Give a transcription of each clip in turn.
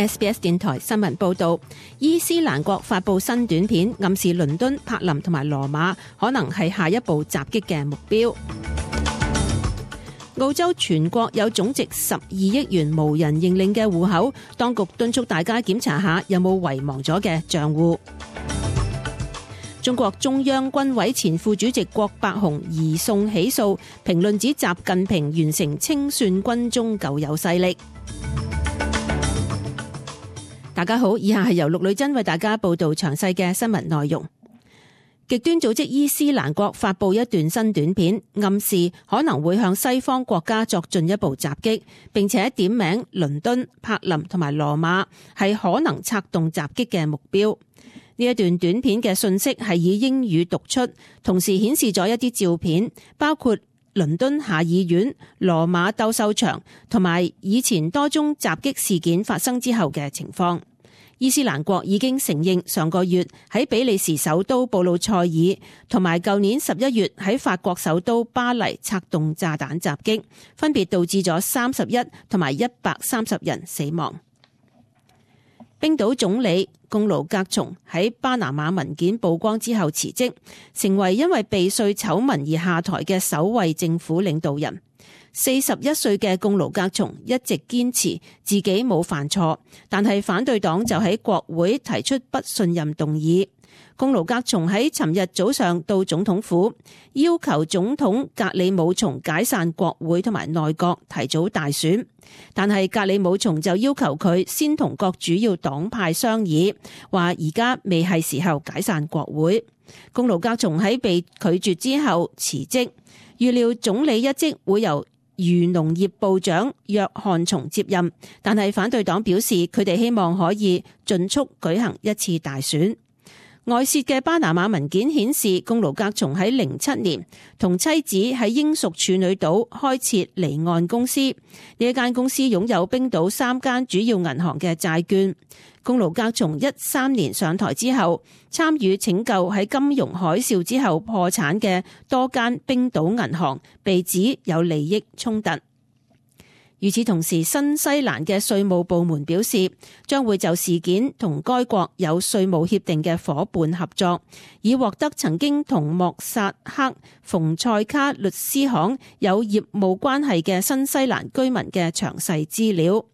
SBS 電台新聞報道，伊斯蘭國發布新短片，暗示倫敦、柏林同埋羅馬可能係下一步襲擊嘅目標。澳洲全國有總值12億元無人認領嘅戶口，當局敦促大家檢查下有冇遺忘咗嘅賬戶。中國中央軍委前副主席郭伯雄移送起訴，評論指習近平完成清算軍中舊有勢力。大家好，以下係由陸女真為大家報道詳細嘅新聞內容。極端組織伊斯蘭國發布一段新短片，暗示可能會向西方國家作進一步襲擊，並且點名倫敦、柏林同埋羅馬係可能策動襲擊嘅目標。呢一段短片嘅信息係以英語讀出，同時顯示咗一啲照片，包括倫敦下議院、羅馬鬥獸場同埋以前多宗襲擊事件發生之後嘅情況。伊斯蘭國已經承認上個月喺比利時首都布魯塞爾同埋舊年11月喺法國首都巴黎策動炸彈襲擊，分別導致咗31同埋130人死亡。冰島總理貢盧格松喺巴拿馬文件曝光之後辭職，成為因為避稅醜聞而下台嘅首位政府領導人。41歲嘅貢盧格松一直堅持自己冇犯錯，但係反對黨就喺國會提出不信任動議。貢盧格松喺尋日早上到總統府，要求總統格里姆松解散國會同埋內閣，提早大選。但係格里姆松就要求佢先同各主要黨派商議，話而家未係時候解散國會。貢盧格松喺被拒絕之後辭職，預料總理一職會由漁農業部長約翰松接任，但係反對黨表示佢哋希望可以盡速舉行一次大選。外泄嘅巴拿馬文件顯示，貢盧格松喺07年同妻子喺英屬處女島開設離岸公司，呢一間公司擁有冰島3間主要銀行嘅債券。貢盧格松13年上台之後，參與拯救喺金融海嘯之後破產嘅多間冰島銀行，被指有利益衝突。與此同時，新西蘭嘅稅務部門表示，將會就事件同該國有稅務協定嘅夥伴合作，以獲得曾經同莫薩克馮塞卡律師行有業務關係嘅新西蘭居民嘅詳細資料，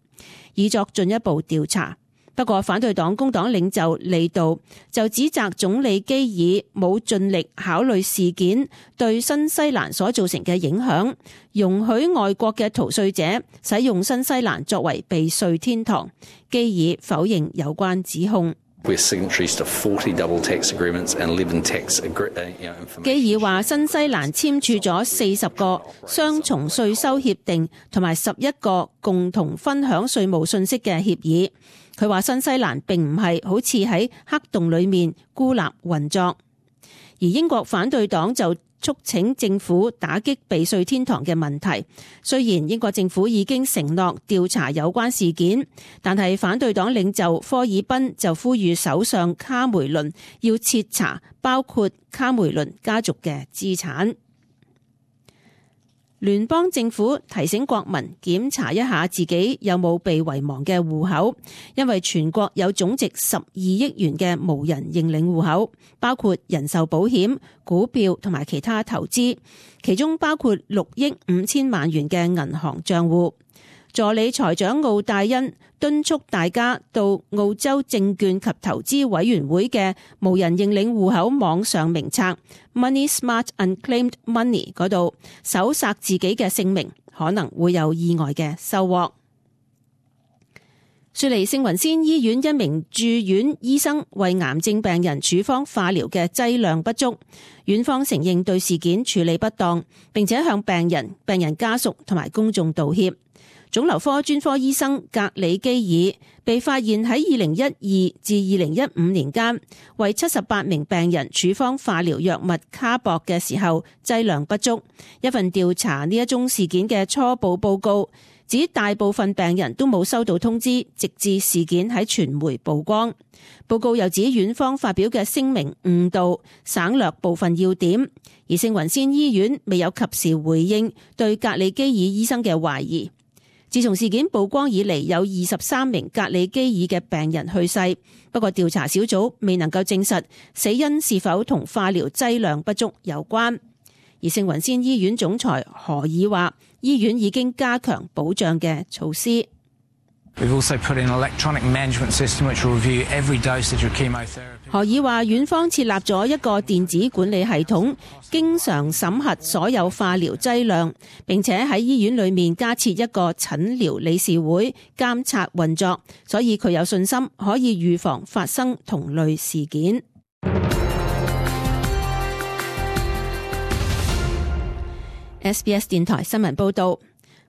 以作進一步調查。不過反對黨工黨領袖利杜就指責總理基爾冇盡力考慮事件對新西蘭所造成嘅影響，容許外國嘅逃稅者使用新西蘭作為避稅天堂。基爾否認有關指控。基爾話新西蘭簽署咗40個雙重稅收協定同埋11個共同分享稅務信息嘅協議。佢話新西蘭並唔係好似喺黑洞裏面孤立運作，而英國反對黨就促請政府打擊避稅天堂嘅問題。雖然英國政府已經承諾調查有關事件，但係反對黨領袖科爾賓就呼籲首相卡梅倫要徹查包括卡梅倫家族嘅資產。聯邦政府提醒國民檢查一下自己有冇被遺忘嘅戶口，因為全國有總值12億元嘅無人認領戶口，包括人壽保險、股票同埋其他投資，其中包括6億5千萬元嘅銀行賬戶。助理財長奧戴恩敦促大家到澳洲證券及投資委員會嘅無人認領戶口網上名冊 Money Smart Unclaimed Money 嗰度搜索自己嘅姓名，可能會有意外嘅收穫。雪梨聖雲仙醫院一名住院醫生為癌症病人處方化療嘅劑量不足，院方承認對事件處理不當，並且向病人、病人家屬同埋公眾道歉。腫瘤科專科醫生格里基爾被發現喺2012至2015年間為78名病人處方化療藥物卡博嘅時候劑量不足。一份調查呢一宗事件嘅初步報告指大部分病人都冇收到通知，直至事件喺傳媒曝光。報告又指院方發表嘅聲明誤導，省略部分要點，而聖雲仙醫院未有及時回應對格里基爾醫生嘅懷疑。自從事件曝光以嚟，有23名格里基爾嘅病人去世，不過調查小組未能夠證實死因是否同化療劑量不足有關。而聖雲仙醫院總裁何爾話，醫院已經加強保障嘅措施。何爾話，院方設立咗一個電子管理系統，經常審核所有化療劑量，並且喺醫院裏面加設一個診療理事會監察運作，所以佢有信心可以預防發生同類事件。SBS 電台新聞報道。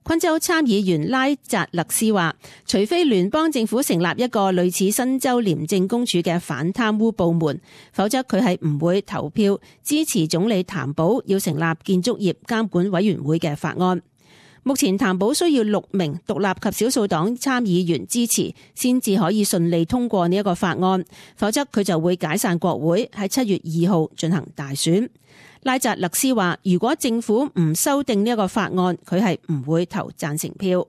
昆州參議員拉扎勒斯話，除非聯邦政府成立一個類似新州廉政公署嘅反貪污部門，否則佢係唔會投票支持總理譚寶要成立建築業監管委員會嘅法案。目前譚寶需要6名獨立及少數黨參議員支持，先至可以順利通過呢一個法案，否則佢就會解散國會，喺7月2號進行大選。拉扎勒斯話，如果政府唔修訂呢一個法案，佢係唔會投贊成票。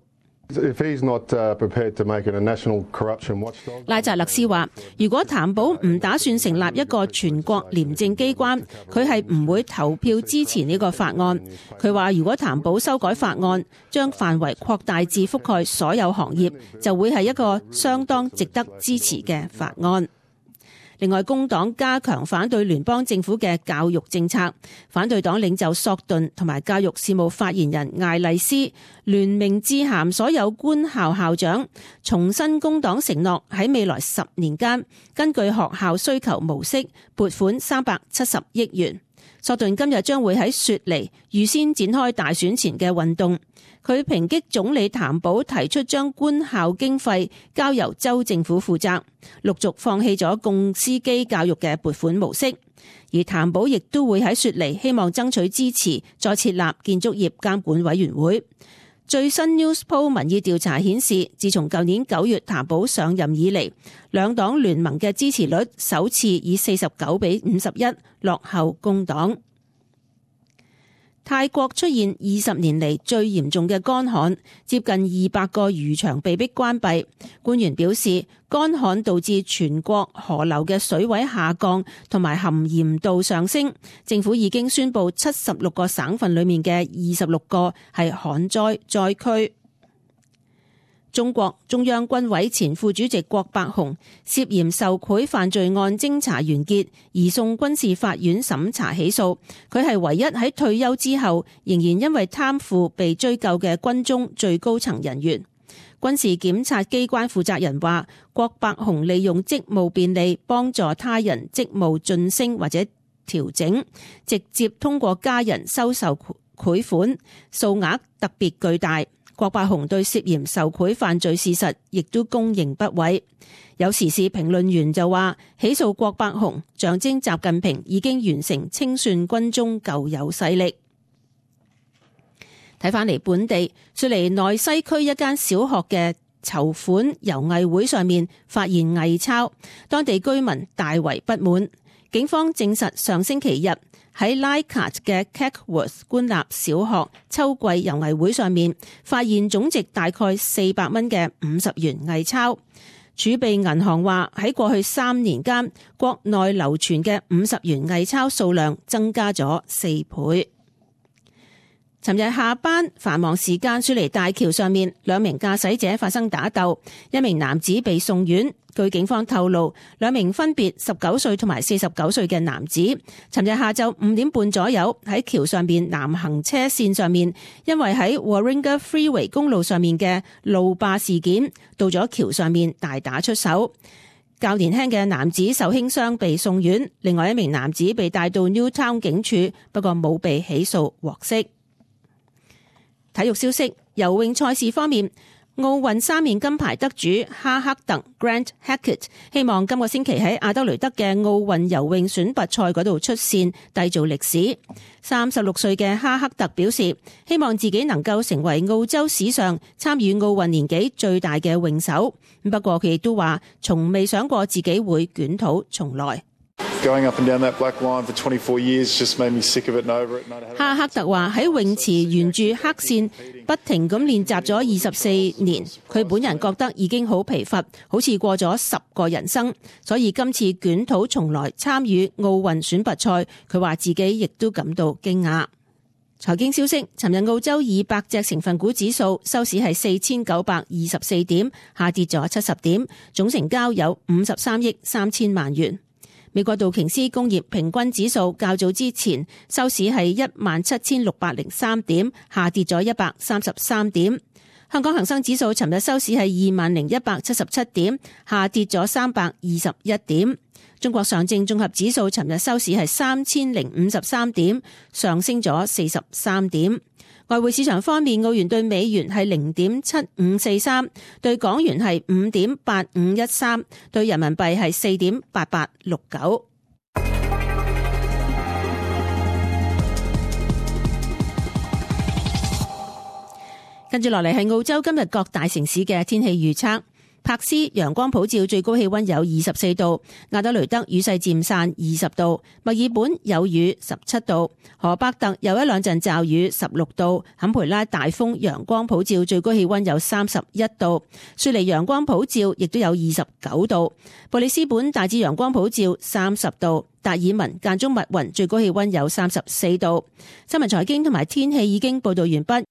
拉扎勒斯話，如果譚寶唔打算成立一個全國廉政機關，佢係唔會投票支持呢個法案。佢話，如果譚寶修改法案，將範圍擴大至覆蓋所有行業，就會係一個相當值得支持嘅法案。另外，工黨加強反對聯邦政府嘅教育政策，反對黨領袖索頓同埋教育事務發言人艾麗斯聯名致函所有官校校長，重申工黨承諾喺未來10年間根據學校需求模式撥款370億元。索頓今日將會喺雪梨預先展開大選前嘅運動。佢抨擊總理譚寶提出將官校經費交由州政府負責，陸續放棄咗共司機教育嘅撥款模式。而譚寶亦都會喺雪梨希望爭取支持，再設立建築業監管委員會。最新 Newspoll 民意調查顯示，自從舊年9月譚寶上任以嚟，兩黨聯盟嘅支持率首次以49-51落後工黨。泰國出現20年嚟最嚴重嘅乾旱，接近200個漁場被迫關閉。官員表示，乾旱導致全國河流嘅水位下降同埋含鹽度上升。政府已經宣布76個省份裏面嘅26個係旱災災區。中國中央軍委前副主席郭伯雄涉嫌受賄犯罪案偵查完結，移送軍事法院審查起訴。佢係唯一喺退休之後仍然因為貪腐被追究嘅軍中最高層人員。軍事檢察機關負責人話，郭伯雄利用職務便利幫助他人職務晉升或者調整，直接通過家人收受賄款，數額特別巨大。郭伯雄對涉嫌受賄犯罪事實亦都供認不諱。有時事評論員就話，起訴郭伯雄象徵習近平已經完成清算軍中舊有勢力。睇返嚟本地，雪梨內西區一間小學嘅籌款遊藝會上面發現偽鈔，當地居民大為不滿。警方證實上星期日喺 Leichhardt 嘅 Cackworth 官立小學秋季遊藝會上面發現總值大概400蚊嘅50元偽鈔。儲備銀行話喺過去3年間，國內流傳嘅50元偽鈔數量增加咗4倍。尋日下班繁忙時間，雪梨大橋上面2名駕駛者發生打鬥，一名男子被送院。據警方透露，2名分別19歲同埋49歲嘅男子，尋日下晝5點半左右喺橋上邊南行車線上面，因為喺 Warringah Freeway 公路上面嘅路霸事件，到咗橋上面大打出手。較年輕嘅男子受輕傷被送院，另外一名男子被帶到 Newtown 警署，不過冇被起訴獲釋。體育消息，游泳賽事方面，奧運3面金牌得主哈克特 Grant Hackett 希望今個星期喺阿德雷德嘅奧運游泳選拔賽嗰度出線，締造歷史。36歲嘅哈克特表示，希望自己能夠成為澳洲史上參與奧運年紀最大嘅泳手。不過佢亦都話，從未想過自己會捲土重來。Going up and down that black line for 24 years just made me sick of it and over it. 哈克特話喺泳池沿住黑線不停咁練習咗24年，佢本人覺得已經好疲乏，好似過咗10個人生，所以今次捲土重來參與奧運選拔賽，佢話自己亦都感到驚訝。財經消息，尋日澳洲200隻成分股指數收市係4924點，下跌咗70點，總成交有53億3千萬元。美國道瓊斯工業平均指數較早之前收市係17603點，下跌咗133點。香港恒生指數尋日收市係20177點，下跌咗321點。中國上證綜合指數尋日收市係3053點，上升咗43點。外匯市場方面，澳元對美元係0.7543，對港元係5.8513，對人民幣係4.8869。跟住落嚟係澳洲今日各大城市嘅天氣預測。柏斯陽光普照，最高氣溫有24度；亞德雷德雨勢漸散20度；墨爾本有雨17度；荷伯特有一兩陣驟雨16度；坎培拉大風陽光普照，最高氣溫有31度；雪梨陽光普照，亦都有29度；布里斯本大致陽光普照30度；達爾文間中密雲，最高氣溫有34度。新聞財經同埋天氣已經報道完畢。